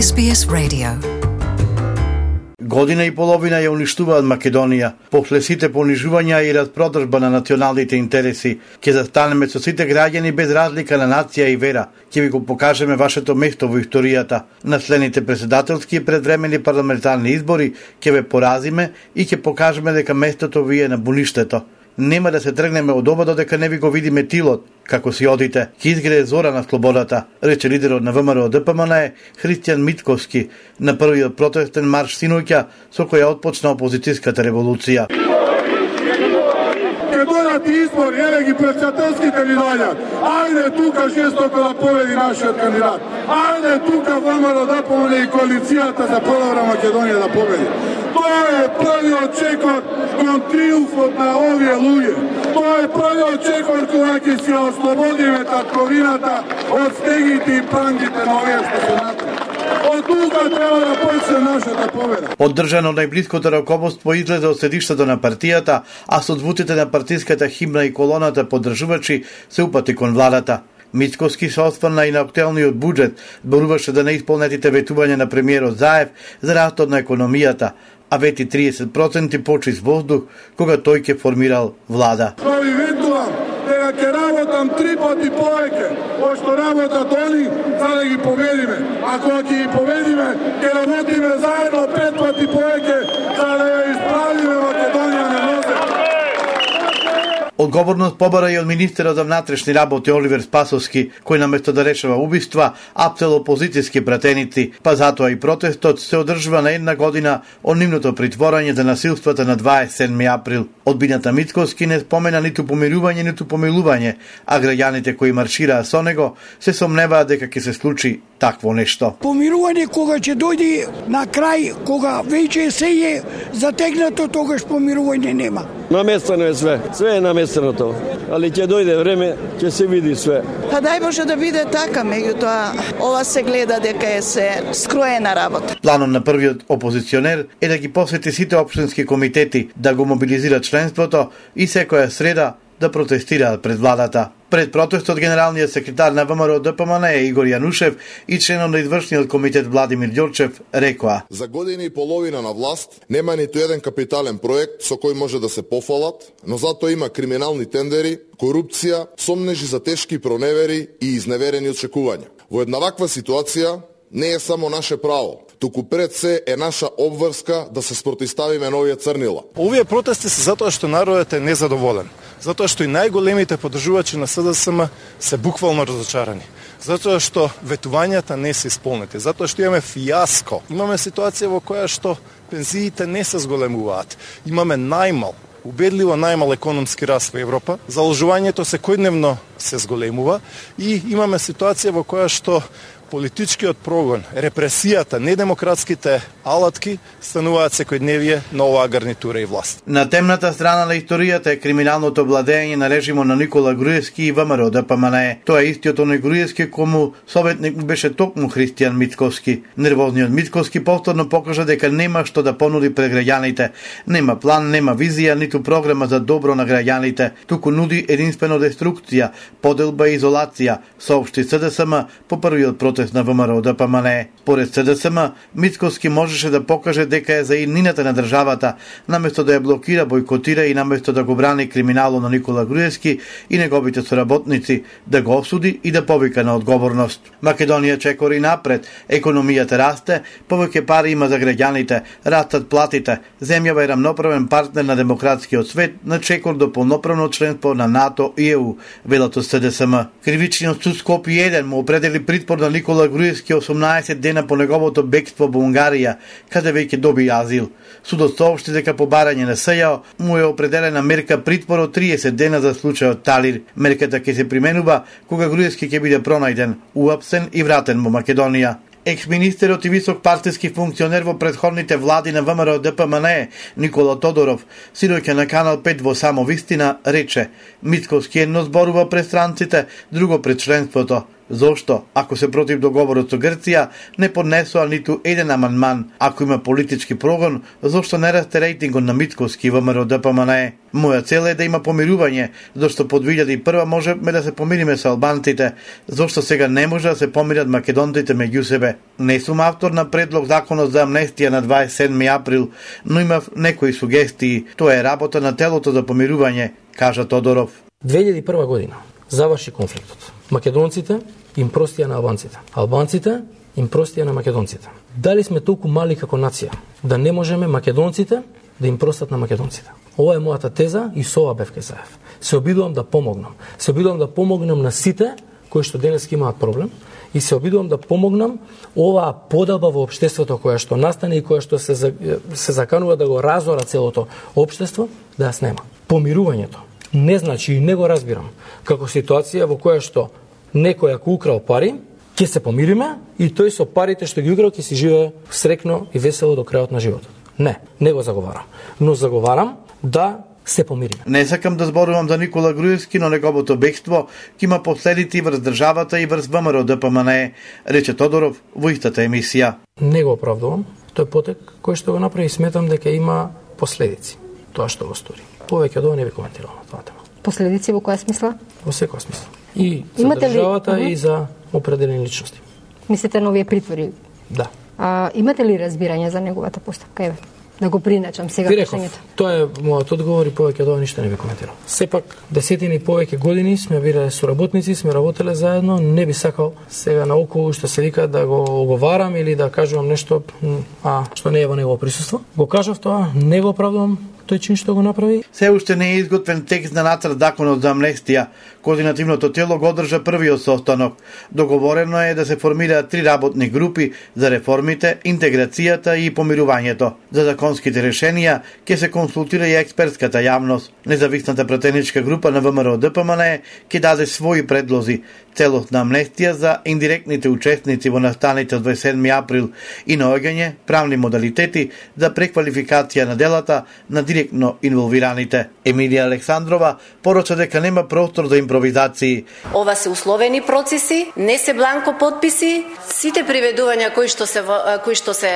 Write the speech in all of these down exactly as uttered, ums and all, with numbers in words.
Ес Би Ес Radio. Година и половина ја уништуваат Македонија. После сите понижувања и распродржба на националните интереси, ќе застанеме со сите граѓани без разлика на нација и вера. Ќе ви го покажеме вашето место во историјата. На следните председателски и предвремени парламентарни избори ќе ве поразиме и ќе покажеме дека местото ви е на буништето. Нема да се тргнеме од ова додека не ви го видиме тилот, како си одите. Ќе изгрее зора на слободата, рече лидерот на ВМРО Д П М Н Е Христијан Митковски на првиот протестен марш синоќа со која отпочна опозицијската револуција. Ке дојдат избори, еле ги председателските ни дојдат. Ајде тука жестоко да победи нашиот кандидат. Ајде тука ВМРО да помогне и коалицијата за подобра Македонија да победи. Тоа е првиот чекор кон триумфот на овие луѓе. Тоа е првиот чекор кога ќе се ослободиме татковината од стегите и пангите на овие што се натре. Од тука треба да почне нашата победа. Поддржано најблиското раководство излезе од седиштето на партијата, а со звуците на партиската химна и колоната поддржувачи се упати кон владата. Митковски се осврна и на актуелниот буџет, зборуваше за неисполнетите ветувања на премиерот Заев за растот на економијата, а вети триесет проценти почист воздух кога тој ќе формирал влада. Ви ветувам дека ќе работам три пати повеќе од што работат они за да ги победиме. А кога ќе ги победиме, ќе работиме заедно пет пати повеќе за да ја исправиме Македонија на нозе. Одговорност побара и од министерот за внатрешни работи Оливер Спасовски, кој наместо да решава убиства, апсел опозицијски пратеници, па затоа и протестот се одржува на една година од нивното притворање за насилствата на дваесет и седми април. Одбината Митковски не спомена ниту помирување, ниту помилување, а граѓаните кои маршираа со него се сомневаат дека ќе се случи такво нешто. Помирување кога ќе дојде на крај, кога веќе се е затегнато, тогаш помирување нема. Наместено е све, све е наместено тоа, али ќе дојде време, ќе се види све. Па дај Боже да биде така, меѓутоа ова се гледа дека е се скроена работа. Планот на првиот опозиционер е да ги посети сите општински комитети, да го мобилизира членството и секоја среда да протестираат пред владата. Пред протестот генералниот секретар на ВМРО Д П М Н Е Игор Јанушев и членот на извршниот комитет Владимир Ѓорчев рекоа: За година и половина на власт нема ниту еден капитален проект со кој може да се пофалат, но затоа има криминални тендери, корупција, сомнежи за тешки проневери и изневерени очекувања. Во една ваква ситуација не е само наше право, туку пред се е наша обврска да се спротивставиме на овие црнила. Овие протести се затоа што народот е незадоволен, затоа што и најголемите поддржувачи на С D S M се буквално разочарани, затоа што ветувањата не се исполнети, затоа што имаме фијаско. Имаме ситуација во која што пензиите не се зголемуваат. Имаме најмал, убедливо најмал економски раст во Европа, заложувањето секојдневно се зголемува и имаме ситуација во која што политичкиот прогон, репресијата, недемократските алатки стануваат секојдневие на оваа гарнитура и власт. На темната страна на историјата е криминалното владење на режимот на Никола Груевски и ВМРО Д П М Н Е. Тоа е истиот оној Груевски кому советник беше токму Христијан Митковски. Нервозниот Митковски повторно покажа дека нема што да понуди пред граѓаните. Нема план, нема визија, ниту програма за добро на граѓаните, туку нуди единствено деструкција, поделба и изолација, соопшти С Д С М по првиот протест на ВМРО Д П М Н Е. Поред С Д С М, Митковски можеше да покаже дека е за иднината на државата, наместо да ја блокира, бойкотира и наместо да го брани криминалот на Никола Груевски и неговите соработници, да го осуди и да повика на одговорност. Македонија чекори напред, економијата расте, повеќе пари има за граѓаните, растат платите, земјава е рамноправен партнер на демократскиот свет, на чекор до полноправно членство на НАТО и Е У, велато С Д С М. Кривичниот суд Скопје еден му определи притвор на Никола Груевски осумнаесет дена по неговото бегство во Унгарија, каде веќе доби азил. Судот соопшти дека по барање на С Ј О му е определена мерка притвор од триесет дена за случајот Талир. Мерката ќе се применува кога Груевски ќе биде пронајден, уапсен и вратен во Македонија. Екс-министерот и висок партиски функционер во претходните влади на ВМРО Д П М Н Е Никола Тодоров синоќа на Канал пет во Само вистина рече: Митковски едно зборува пред странците, друго пред членството. Зошто, ако се против договорот со Грција, не поднесоа ниту еден амандман? Ако има политички прогон, зошто не расте рейтингот на Мицкоски и ВМРО Д П М Н Е? Моја цел е да има помирување, зашто под две илјади и прва можеме да се помириме со албанците, зашто сега не може да се помират македонците меѓу себе. Не сум автор на предлог законот за амнестија на дваесет и седми април, но имав некои сугестии. Тоа е работа на телото за помирување, кажа Тодоров. две илјади и прва година заврши конфликтот. Македонците им простија на албанците. Албанците им простија на македонците. Дали сме толку мали како нација да не можеме македонците да им простат на македонците? Ова е мојата теза и со ова бев кај Заев. Се обидувам да помогнам. Се обидувам да помогнам на сите кои што денес имаат проблем и се обидувам да помогнам оваа поделба во општеството која што настане и која што се се заканува да го разора целото општество, да ја снема. Помирувањето не значи, и не го разбирам, како ситуација во која што некој ако украл пари, ќе се помириме и тој со парите што ги украл ќе си живее срекно и весело до крајот на животот. Не, не го заговарам. Но заговарам да се помириме. Не сакам да зборувам за Никола Груевски, но неговото бегство ќе има последици врз државата и врз ВМРО Д П М Н Е, рече Тодоров во истата емисија. Не го оправдувам. Тој потек кој што го направи, сметам дека има последици. Тоа што го стори. Повеќе од ова не би коментирал на тоа тема. Последици во која смисла? Во секоја смисла. И за имате државата ли... и за определени личности. Мислите на овие притвори? Да. А, имате ли разбирање за неговата постапка? Еве, да го приначам сега прашањето. Тоа е мојот одговор и повеќе од ова ништо не би коментирал. Сепак десетини и повеќе години сме биле соработници, сме работеле заедно, не би сакал сега наоколу што се вика да го оговарам или да кажувам нешто а што не е во негово присуство. Го кажав тоа, не го оправдувам тој чин што го направи. Се уште не е изготвен текст на нацрт законот за амнестија. Координативното тело го одржа првиот состанок. Договорено е да се формираат три работни групи за реформите, интеграцијата и помирувањето. За законските решенија ќе се консултира и експертската јавност. Независната пратеничка група на ВМРО Д П М Н Е ќе даде своји предлози. Целосна амнестија за индиректните учесници во настаните од дваесет и седми април и наоѓање правни модалитети за преквалификација на делата на директно инволвираните. Емилија Александрова порача дека нема простор за импровизации. Ова се условени процеси, не се бланко подписи. Сите приведувања кои што се кои што се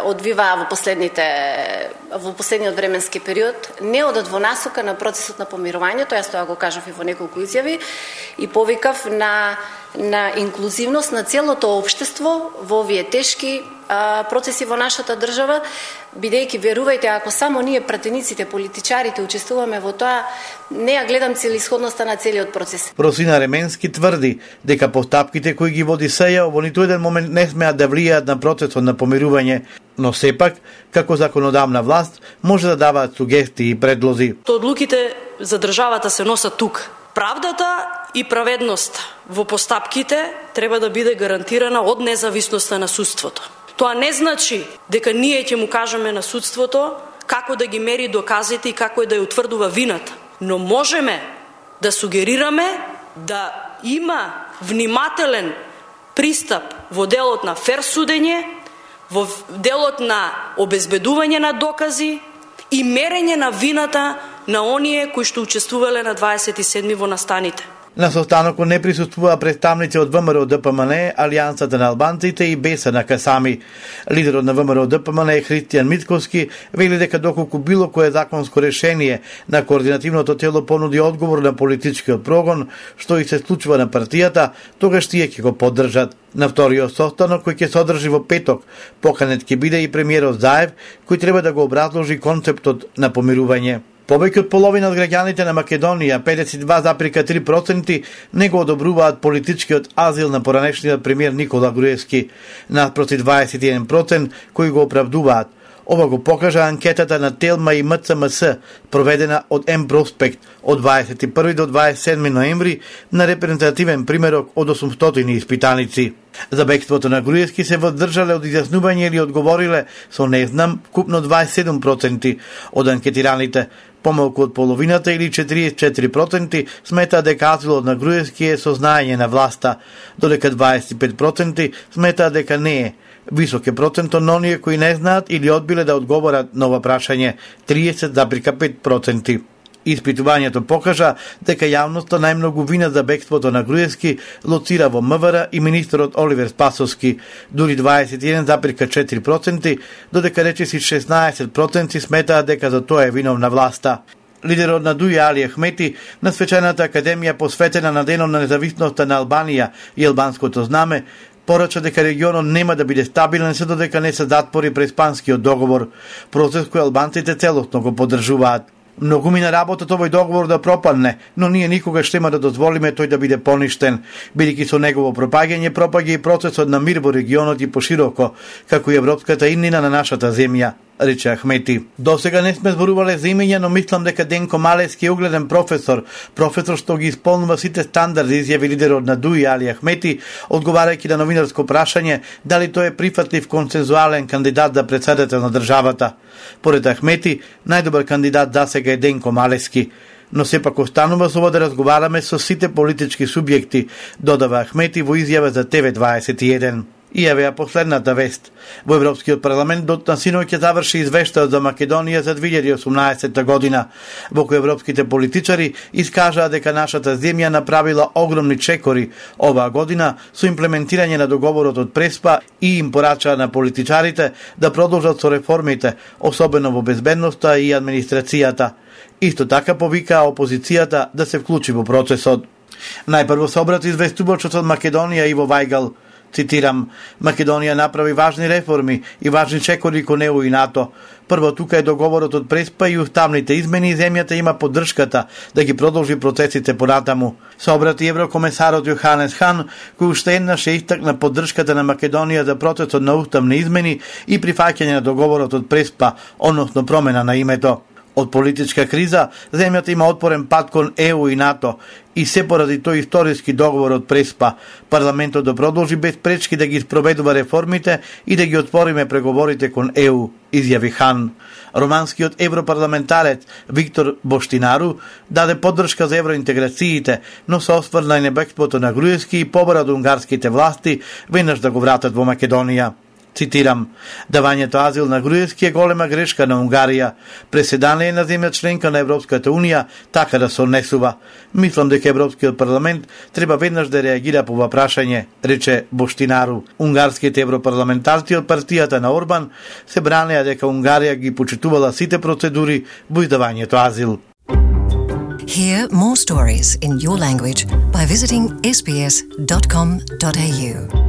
одвиваа во последните во последниот временски период не одат во насока на процесот на помирувањето. Јас тоа го кажав и во неколку изјави и повикав на на инклузивност на целото општество во овие тешки а, процеси во нашата држава, бидејќи верувајте, ако само ние пратениците, политичарите учествуваме во тоа, не ја гледам целисходноста на целиот процес. Росина Ременски тврди дека постапките кои ги води СЈ во ниту еден момент не смеат да влијаат на процесот на помирување, но сепак, како законодавна власт, може да даваат сугестии и предлози. Одлуките за државата се носат тук. Правдата и праведноста во постапките треба да биде гарантирана од независноста на судството. Тоа не значи дека ние ќе му кажеме на судството како да ги мери доказите и како да ја утврдува вината, но можеме да сугерираме да има внимателен пристап во делот на фер судење, во делот на обезбедување на докази и мерење на вината на оние кои што учествувале на дваесет и седми во настаните. На состанокот не присуствуваа представници од ВМРО Д П М Н Е, Алијансата на албанците и Бесана Касами. Лидерот на ВМРО Д П М Н Е Христијан Мицкоски вели дека доколку било кое законско решение на координативното тело понуди одговор на политичкиот прогон, што и се случува на партијата, тогаш тие ќе го поддржат. На вториот состанок кој ќе се одржи во петок, поканет ќе биде и премиерот Заев, кој треба да го образложи концептот на помирување. Повеќе од половина од граѓаните на Македонија, педесет и два зарез и три проценти, не го одобруваат политичкиот азил на поранешниот премиер Никола Груевски, наспроти дваесет и еден проценти кои го оправдуваат. Ова го покажа анкетата на Телма и М Ц М С, проведена од М Проспект од дваесет и први до дваесет и седми ноември на репрезентативен примерок од осумстотини испитаници. За бегството на Груевски се воздржале од изјаснување или одговориле со не знам купно дваесет и седум проценти од анкетираните. Помалку од половината или четириесет и четири проценти сметаат дека азилот на Груевски е со знаење на власта, додека дваесет и пет проценти сметаат дека не е. Висок е процентот на оние кои не знаат или одбиле да одговорат на ова прашање, триесет зарез и пет проценти. Испитувањето покажа дека јавноста најмногу вина за бегството на Груевски лоцира во МВР и министерот Оливер Спасовски, дури дваесет и еден запирка четири проценти, додека речиси шеснаесет проценти сметаат дека за тоа е виновна власта. Лидерот на Дуј Али Ахмети на свечената академија посветена на денот на независноста на Албанија и албанското знаме порача дека регионот нема да биде стабилен се додека не се затвори преспанскиот договор, процес кој албанците целосно го поддржуваат. Многу мина работат овој договор да пропадне, но ние никогаш нема да дозволиме тој да биде поништен, бидејќи со негово пропагање пропаѓа и процесот на мир во регионот и пошироко, како и европската иднина на нашата земја, рече Ахмети. До сега не сме зборувале за имења, но мислам дека Денко Малески е угледен професор, професор што ги исполнува сите стандарди, изјави лидерот на Дуј Али Ахмети, одговарајќи на новинарско прашање дали тој е прифатлив консензуален кандидат за претседател на државата. Поред Ахмети, најдобар кандидат за сега е Денко Малески, но сепак останува со да разговараме со сите политички субјекти, додава Ахмети во изјава за Т В дваесет и еден. И евеа последната вест. Во Европскиот парламент дотна синој ќе заврши извештајот за Македонија за две илјади и осумнаесетта година, во кој европските политичари искажаа дека нашата земја направила огромни чекори оваа година со имплементирање на договорот од Преспа и им порачаа на политичарите да продолжат со реформите, особено во безбедноста и администрацијата. Исто така повикаа опозицијата да се вклучи во процесот. Најпрво се обрати известувачот од Македонија Иво Вајгал. Цитирам, Македонија направи важни реформи и важни чекори кон Е У и НАТО. Прво тука е договорот од Преспа и уставните измени и земјата има поддршката да ги продолжи процесите понатаму. Се обрати еврокомесарот Јоханес Хан, кој уште еднаш е истакна поддршката на Македонија за процесот на уставни измени и прифаќање на договорот од Преспа, односно промена на името. Од политичка криза, земјата има отпорен пат кон Е У и НАТО и се поради тој историски договор од Преспа, парламентот да продолжи без пречки да ги спроведува реформите и да ги отвориме преговорите кон Е У, изјави Хан. Романскиот европарламентарец Виктор Боштинару даде поддршка за евроинтеграциите, но се осврна и на бегството на Груевски и побара од унгарските власти веднаш да го вратат во Македонија. Цитирам, давањето азил на Груевски е голема грешка на Унгарија. Преседан е на земја членка на Европската Унија така да се однесува. Мислам дека Европскиот парламент треба веднаш да реагира по ова прашање, рече Боштинару. Унгарските европарламентарци од партијата на Орбан се бранеа дека Унгарија ги почитувала сите процедури во издавањето азил. Hear more stories in your language by visiting s b s dot com dot a u.